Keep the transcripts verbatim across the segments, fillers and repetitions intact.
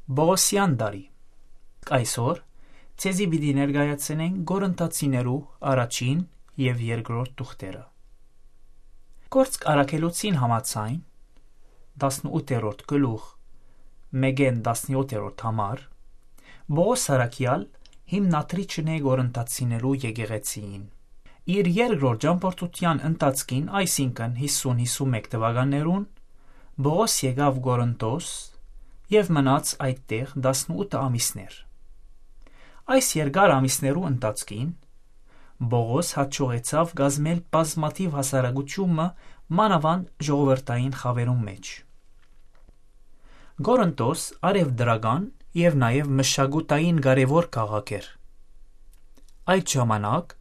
Պողոսեան տարի։ Այսօր ձեզի պիտի ներկայացնենք Կորինթացիներու առաջին եւ երկրորդ թուղթերը։ Գործք առաքելոցին համաձայն, տասնութերորդ գլուխ, մէկէն տասնյոթերորդ համար, Պողոս Սարակեալ հիմնադրիչն է Կորինթացիներու եկեղեցիին։ Իր երկրորդ ճամբորդութեան ընթացքին, այսինքն՝ հիսուն հիսուն մէկ թվականներուն, Պողոս եկաւ Կորինթոս եւ մնաց այդտեղ տասնութ ամիսներ։ Այս երկար ամիսներու ընթացքին Պողոս յաջողեցաւ կազմել բազմաթիւ հասարակութիւն մը, մանաւանդ ժողովրդային խաւերուն մէջ։ Կորինթոս արեւտրական եւ նաեւ մշակութային կարեւոր քաղաք էր։ Այդ ժամանակ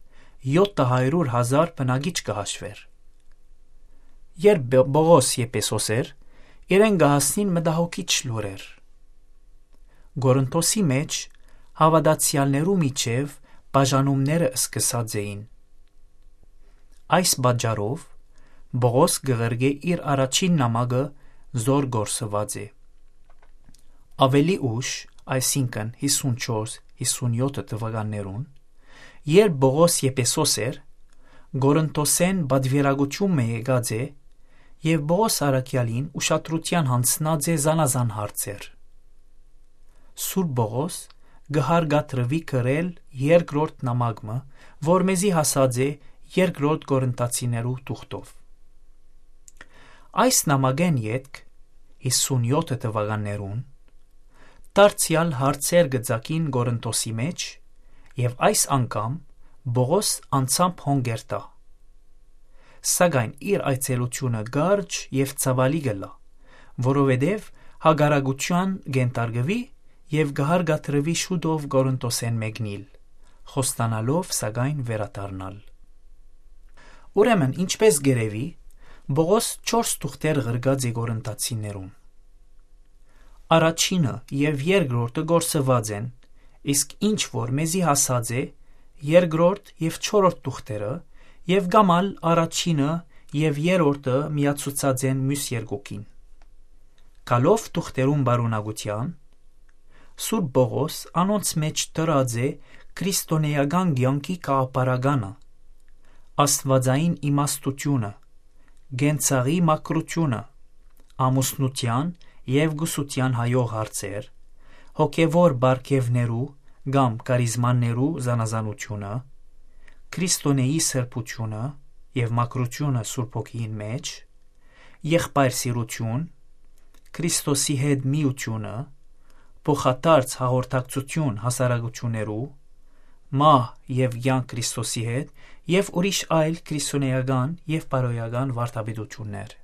եօթը հարիւր հազար բնակիչ կը հաշուէր։ Երբ Պ-, Պողոս Եփեսոս էր, իրեն կը հասնին մտահոգիչ լուրեր։ Կորինթոսի մէջ հաւատացեալներու միջեւ բաժանումները սկսած էին։ Այս պատճառով Պողոս կը ղրկէ իր առաջին նամակը, զոր կորսուած է։ Աւելի ուշ, այսինքն՝ հիսուն չորս, հիսուն եօթ թվականներուն, երբ Պողոս Եփեսոս էր, Կորինթոսէն պատուիրակութիւն մը եկած է եւ Պողոս առաքեալին ուշադրութեան յանձնած է զանազան հարցեր։ Սուրբ Պողոս կը հարգադրուի գրել երկրորդ նամակ մը, որ մեզի հասած է երկրորդ Կորինթացիներու թուղթով։ Այս նամակէն ետք, հիսուն եօթ թվականներուն, դարձեալ հարցեր կը ծագին Կորինթոսի մէջ եւ այս անգամ Պողոս անձամբ հոն կ'երթայ։ Սակայն իր այցելութիւնը կարճ եւ ցաւալի կ'ըլլայ, որովհետեւ հակառակութեան կ'ենթարկուի եւ կը հարկադրուի շուտով Կորինթոսէն մեկնիլ, խոստանալով սակայն վերադառնալ։ Ուրեմն, ինչպէս կ'երեւի, Պողոս չորս թուղթեր ղրկած է Կորինթացիներուն։ Առաջինը եւ երկրորդը կորսուած են, իսկ ինչ որ մեզի հասած է, երկրորդ եւ չորրորդ թուղթերը, եւ կամ ալ առաջինը եւ երրորդը միացուցած են միւս երկուքին։ Գալով թուղթերուն պարունակութեան, Սուրբ Պողոս անոնց մէջ դրած է քրիստոնէական կեանքի գաղափարականը, աստուածային իմաստութիւնը, կենցաղի մաքրութիւնը, ամուսնութեան եւ կուսութեան հայող հարցեր, հոգեւոր պարգեւներու կամ կարիզմաներու զանազանութիւնը, Քրիստոնէի սրբութիւնը եւ մաքրութիւնը Սուրբ Հոգիին մէջ, եղբայր սիրութիւն, Քրիստոսի հետ միութիւնը, փոխադարձ հաղորդակցութիւն հասարակութիւններու, մահ եւ կեանք Քրիստոսի հետ եւ ուրիշ այլ քրիստոնէական եւ բարոյական վարդապետութիւններ։